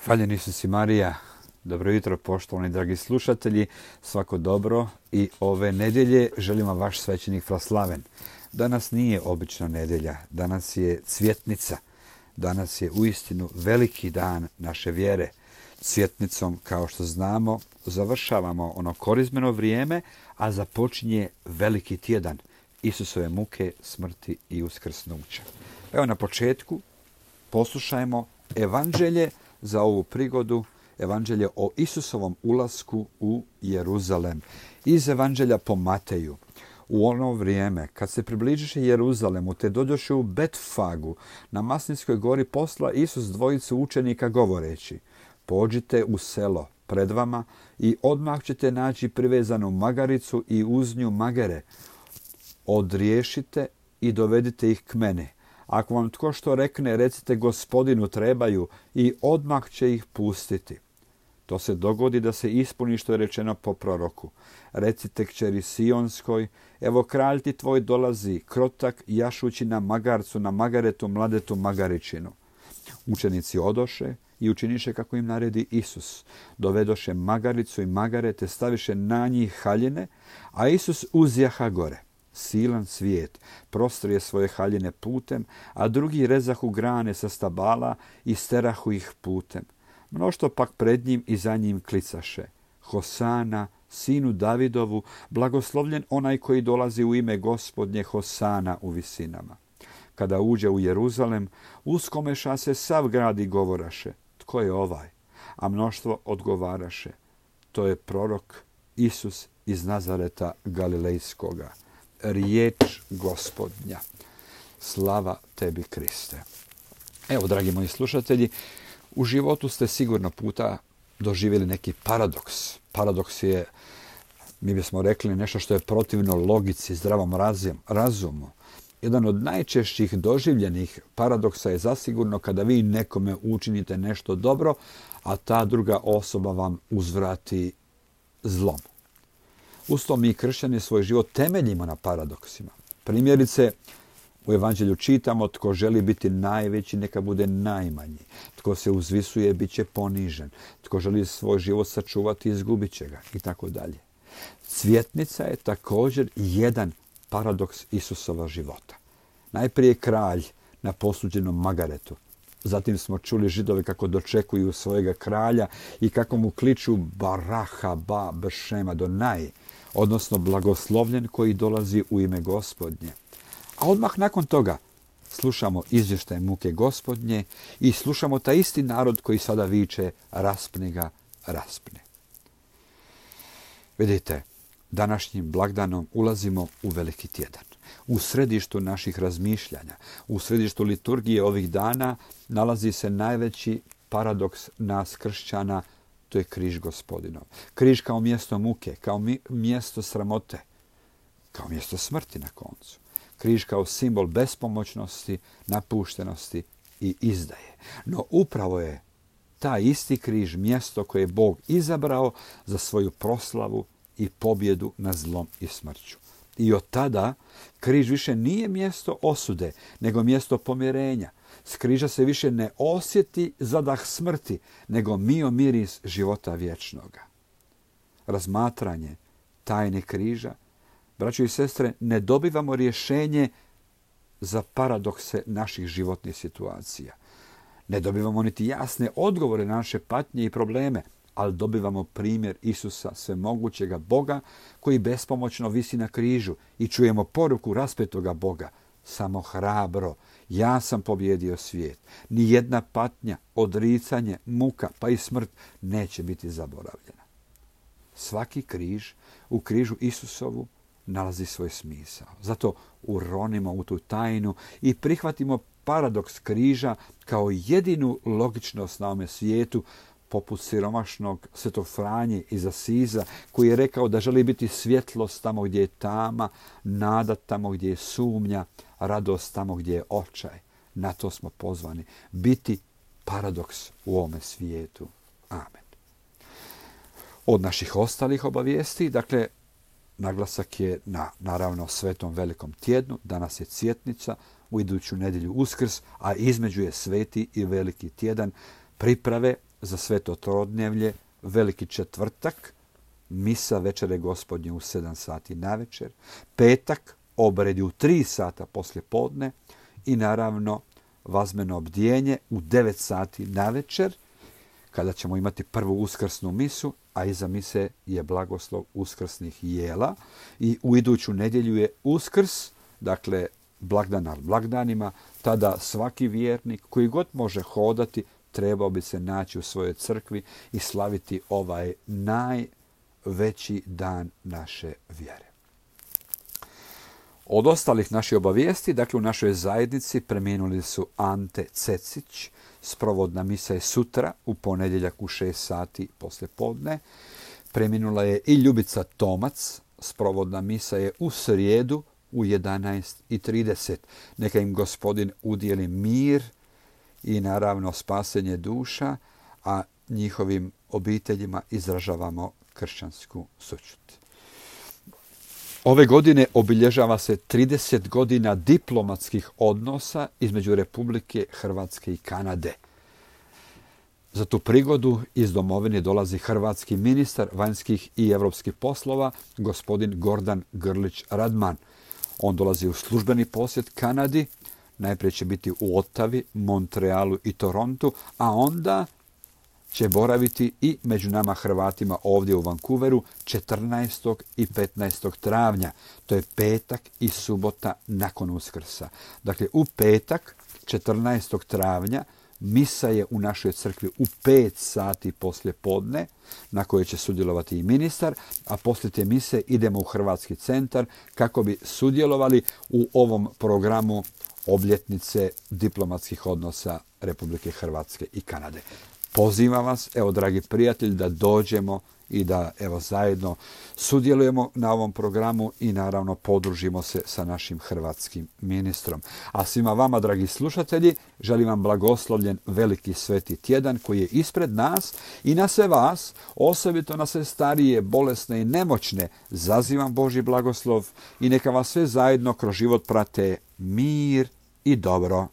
Hvaljeni Isus i Marija, dobro jutro poštovani dragi slušatelji, svako dobro i ove nedjelje želim vam vaš svećenik Fraslaven. Danas nije obična nedjelja, danas je cvjetnica, danas je uistinu veliki dan naše vjere. Cvjetnicom, kao što znamo, završavamo ono korizmeno vrijeme, a započinje veliki tjedan Isusove muke, smrti i uskrsnuća. Evo na početku poslušajmo evanđelje za ovu prigodu, evanđelje o Isusovom ulasku u Jeruzalem. Iz evanđelja po Mateju. U ono vrijeme, kad se približiše Jeruzalemu, te dođoše u Betfagu, na Maslinskoj gori posla Isus dvojicu učenika govoreći: pođite u selo pred vama i odmah ćete naći privezanu magaricu i uz nju magere. Odriješite i dovedite ih k meni. Ako vam tko što rekne, recite Gospodinu trebaju i odmah će ih pustiti. To se dogodi da se ispuni što je rečeno po proroku. Recite kćeri Sionskoj, evo kralj ti tvoj dolazi, krotak, jašući na magarcu, na magaretu, mladetu magaričinu. Učenici odoše i učiniše kako im naredi Isus. Dovedoše magaricu i magarete, staviše na njih haljine, a Isus uzjaha gore. Silan svijet prostrije svoje haljine putem, a drugi rezahu grane sa stabala i sterahu ih putem. Mnoštvo pak pred njim i za njim klicaše: Hosana, sinu Davidovu, blagoslovljen onaj koji dolazi u ime Gospodnje, Hosana u visinama. Kada uđe u Jeruzalem, uskomeša se sav grad i govoraše: tko je ovaj? A mnoštvo odgovaraše: to je prorok Isus iz Nazareta Galilejskoga. Riječ Gospodnja. Slava tebi, Kriste. Evo, dragi moji slušatelji, u životu ste sigurno puta doživjeli neki paradoks. Paradoks je, mi bismo rekli, nešto što je protivno logici, zdravom razumu. Jedan od najčešćih doživljenih paradoksa je zasigurno kada vi nekome učinite nešto dobro, a ta druga osoba vam uzvrati zlom. Uz to mi kršćani svoj život temeljimo na paradoksima. Primjerice, u evanđelju čitamo: tko želi biti najveći, neka bude najmanji. Tko se uzvisuje, bit će ponižen. Tko želi svoj život sačuvati, izgubit će ga, i tako dalje. Cvjetnica je također jedan paradoks Isusova života. Najprije kralj na posuđenom magaretu. Zatim smo čuli Židovi kako dočekuju svojega kralja i kako mu kliču Baraha ba Bešema Donaj, odnosno blagoslovljen koji dolazi u ime Gospodnje. A odmah nakon toga slušamo izvještaj muke Gospodnje i slušamo taj isti narod koji sada viče: raspni ga, raspni. Vidite, današnjim blagdanom ulazimo u veliki tjedan. U središtu naših razmišljanja, u središtu liturgije ovih dana nalazi se najveći paradoks nas kršćana, to je križ Gospodinov. Križ kao mjesto muke, kao mjesto sramote, kao mjesto smrti na koncu. Križ kao simbol bespomoćnosti, napuštenosti i izdaje. No upravo je taj isti križ mjesto koje je Bog izabrao za svoju proslavu i pobjedu nad zlom i smrću. I od tada križ više nije mjesto osude, nego mjesto pomirenja. S križa se više ne osjeti zadah smrti, nego mio miris života vječnoga. Razmatranje tajne križa, braćo i sestre, ne dobivamo rješenje za paradokse naših životnih situacija. Ne dobivamo niti jasne odgovore na naše patnje i probleme, ali dobivamo primjer Isusa, svemogućega Boga, koji bespomoćno visi na križu, i čujemo poruku raspetoga Boga: samo hrabro, ja sam pobjedio svijet. Nijedna patnja, odricanje, muka pa i smrt neće biti zaboravljena. Svaki križ, u križu Isusovu, nalazi svoj smisao. Zato uronimo u tu tajnu i prihvatimo paradoks križa kao jedinu logičnost na ovome svijetu, poput siromašnog svetog Franje iz Asiza, koji je rekao da želi biti svjetlost tamo gdje je tama, nada tamo gdje je sumnja, radost tamo gdje je očaj. Na to smo pozvani, biti paradoks u ovome svijetu. Amen. Od naših ostalih obavijesti, dakle, naglasak je na, naravno, Svetom velikom tjednu. Danas je cvjetnica, u iduću nedjelju Uskrs, a između je sveti i veliki tjedan, priprave za Sveto Trodnevlje, Veliki četvrtak, misa večere Gospodnje u 7 sati navečer, petak, obredi u 3 sata poslije podne i naravno vazmeno obdijenje u 9 sati navečer, kada ćemo imati prvu uskrsnu misu, a iza mise je blagoslov uskrsnih jela. I u iduću nedjelju je Uskrs, dakle blagdan nad blagdanima. Tada svaki vjernik koji god može hodati trebao bi se naći u svojoj crkvi i slaviti ovaj najveći dan naše vjere. Od ostalih naših obavijesti, dakle u našoj zajednici preminuli su Ante Cecić, sprovodna misa je sutra u ponedjeljak u 6 sati poslije podne. Preminula je i Ljubica Tomac, sprovodna misa je u srijedu u 11:30. Neka im Gospodin udijeli mir i naravno spasenje duša, a njihovim obiteljima izražavamo kršćansku sućut. Ove godine obilježava se 30 godina diplomatskih odnosa između Republike Hrvatske i Kanade. Za tu prigodu iz domovine dolazi hrvatski ministar vanjskih i europskih poslova, gospodin Gordan Grlić Radman. On dolazi u službeni posjet Kanadi, najprije će biti u Ottavi, Montrealu i Torontu, a onda će boraviti i među nama Hrvatima ovdje u Vancouveru 14. i 15. travnja. To je petak i subota nakon Uskrsa. Dakle, u petak 14. travnja misa je u našoj crkvi u 5 sati poslije podne, na kojoj će sudjelovati i ministar, a poslije te mise idemo u Hrvatski centar kako bi sudjelovali u ovom programu obljetnice diplomatskih odnosa Republike Hrvatske i Kanade. Pozivam vas, evo dragi prijatelji, da dođemo i da evo zajedno sudjelujemo na ovom programu i naravno podružimo se sa našim hrvatskim ministrom. A svima vama, dragi slušatelji, želim vam blagoslovljen veliki sveti tjedan koji je ispred nas i na sve vas, osobito na sve starije, bolesne i nemoćne, zazivam Božji blagoslov i neka vas sve zajedno kroz život prate mir i dobro.